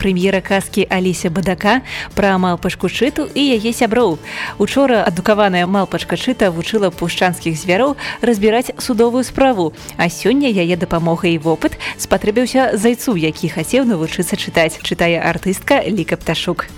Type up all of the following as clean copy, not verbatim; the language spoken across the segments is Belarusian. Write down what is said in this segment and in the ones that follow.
Прэм'ера казкі Алеся Бадака пра малпачку Чыту і яе сяброў. Учора адукаваная малпачка Чыта вучыла пушчанскіх звяроў разбіраць судовую справу, а сёння яе дапамога і вопыт спатрэбіўся зайцу, які хацеў навучыцца чытаць, чытае артыстка Ліка Пташук.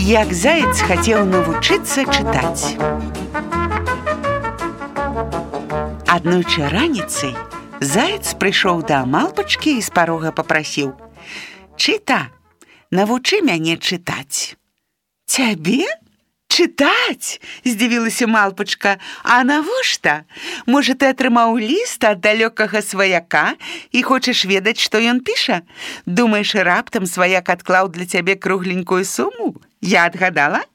Як заяц хацеў навучыцца чытаць. Аднойчы раніцай заяц прыйшоў да малпачкі і з парога папрасіў: «Чыта, навучы мяне чытаць». «Цябе? Чытаць?» – здзівілася малпачка. «А навошта? Можа, ты атрымаў ліст ад далёкага сваяка і хочаш ведаць, што ён піша? Думаеш, раптам сваяк адклаў для цябе кругленькую суму? Я адгадала?»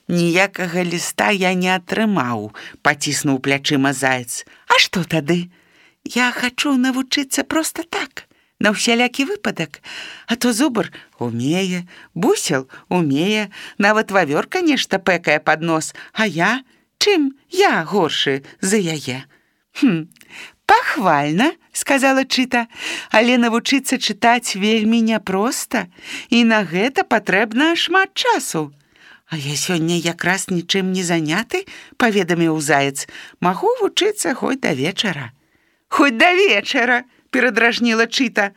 «Ніякага ліста я не атрымаў», – паціснуў плячыма заяц. «А што тады? Я хачу навучыцца проста так, на ўсялякі выпадак. А то зубр умее, бусел умее, нават вавёрка нешта пэкае пад нос, а я? Чым я горшы за яе?» «Пахвальна», – сказала Чыта, «але навучыцца чытаць вельмі няпроста, і на гэта патрэбна шмат часу». «А я сёння якраз нічым не заняты», – паведаміў заяц. «Магу вучыцца хоць да вечара». «Хоць да вечара», – перадражніла Чыта.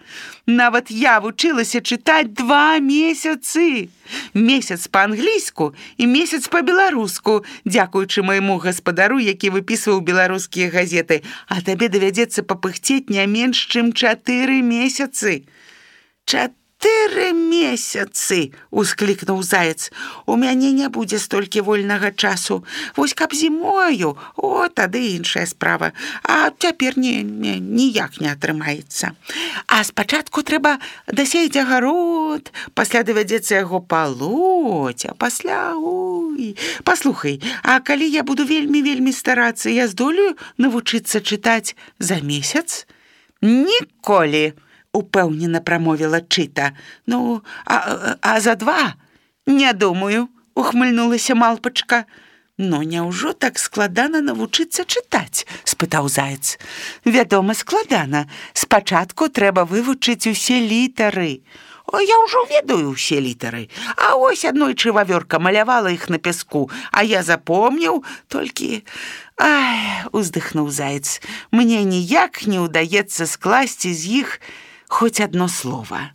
«Нават я вучылася чытаць 2 месяцы. Месяц па-англійску і месяц па-беларуску, дзякуючы майму гаспадару, які выпісваў беларускія газеты. А табе давядзецца папыхцець не менш, чым 4 месяцы». «4 месяцы!» – усклікнуў заяц. «У мяне не будзе столькі вольнага часу. Вось каб зімою, тады іншая справа. А цяпер ніяк не атрымаецца. А спачатку трэба дасеяць агарод, пасля давядзецца яго палоць, а пасля... Паслухай, а калі я буду вельмі старацца, я здолею навучыцца чытаць за месяц?» «Ніколі!» упэўнена прамовіла Чыта. «Ну, а за 2? Не думаю», ухмыльнулася малпачка. «Ну, няўжо так складана навучыцца чытаць?» спытаў заяц. «Вядома, складана. Спачатку трэба вывучыць усе літары». «Я ўжо ведаю ўсе літары. А ось аднойчы вавёрка малявала іх на пяску, а я запомніў толькі...» уздыхнуў заяц. «Мне ніяк не ўдаецца скласці з іх хоць адно слова».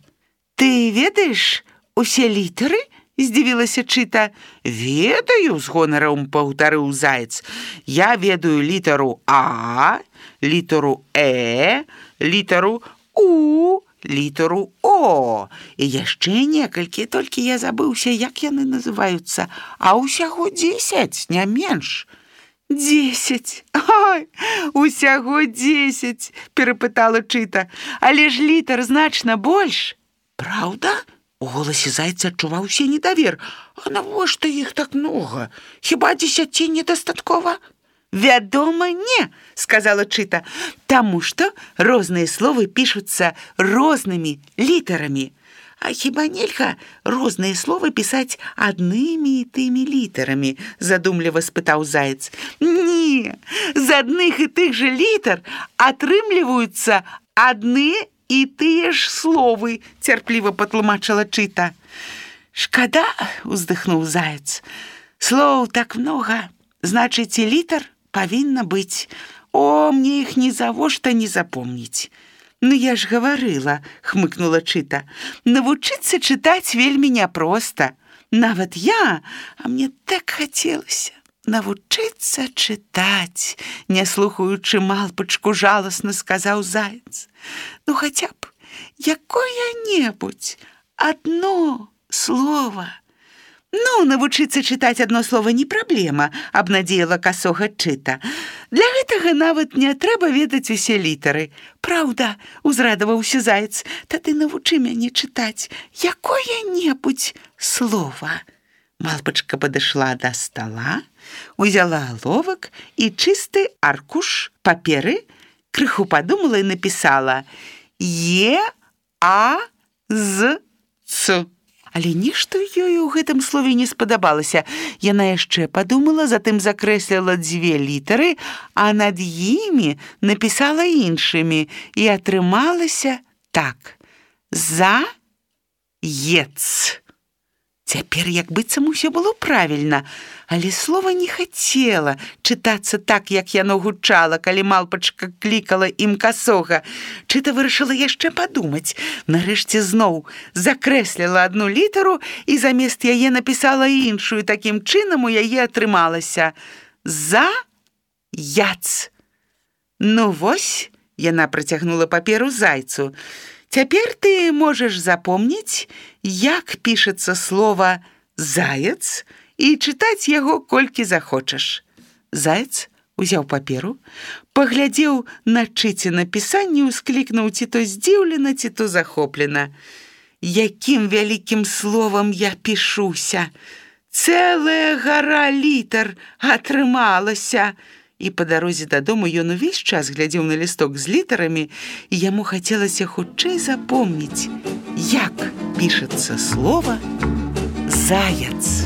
«Ты ведаеш усе літары?» – здзівілася Чыта. «Ведаю», – з гонарам паўтарыў заяц. «Я ведаю літару А, літару Э, літару У, літару О. І яшчэ некалькі, толькі я забыўся, як яны называюцца. А ўсяго 10, не менш». 10. Ой, усяго 10, перапытала Чыта. Але ж літар значна больш. Праўда? У голасе зайца адчуваўся недавер. А навошта іх так многа? Хіба 10 недастаткова? Вядома, не, сказала Чыта. Таму што розныя словы пішуцца рознымі літарамі. А хіба нельга розныя словы пісаць аднымі і тымі літарамі? Задумліва спытаў заяц. Не, з адных і тых жа літар атрымліваюцца адны і тыя ж словы, цярпліва патлумачыла Чыта. Шкада, уздыхнуў заяц. Слоў так многа, значыць, і літар павінна быць. Мне іх нізавошта не запомніць. «Ну, я ж гаварыла», – хмыкнула Чыта. «Навучыцца чытаць вельмі няпроста. Нават я, а мне так хацелася навучыцца чытаць», – не слухаючы малпачку, жаласна сказаў заяц. «Ну, хаця б якое-небудзь адно слова». «Ну, навучыцца чытаць адно слова не праблема», – абнадзеяла касога Чыта. Для гэтага нават не трэба ведаць усе літары. Праўда, узрадаваўся заяц, тады навучы мяне чытаць якое-небудзь слова. Малпачка падышла да стала, узяла аловак і чысты аркуш паперы, крыху падумала і напісала Е-А-З-Ц. Але нешта ёй у гэтым слове не спадабалася. Яна яшчэ падумала, затым закрэсліла 2 літары, а над імі напісала іншымі, і атрымалася так: За-ец. Цяпер як быццам усё было правільна, але слова не хацела чытацца так, як яно гучала, калі малпачка клікала ім касога. Чыта вырашыла яшчэ падумаць. Нарэшце зноў закрэсліла 1 літару і замест яе напісала іншую. Такім чынам у яе атрымалася За-яц. Ну вось, яна працягнула паперу зайцу. Цяпер ты можаш запомніць, як пішацца слова «заяц» і чытаць яго колькі захочаш. Заяц узяў паперу, паглядзеў на чыце напісанне, усклікнуў ці то здзіўлена, ці то захоплена. Якім вялікім словам я пішуся! Цэлая гара літар атрымалася! І па дарозе дадому ён увесь час глядзеў на лісток з літарамі, і яму хацелася хутчэй запомніць, як пішацца слова «заяц».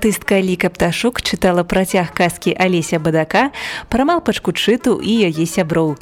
Артыстка Ліка Пташук чытала працяг казкі Алеся Бадака пра малпачку Чыту і яе сяброў.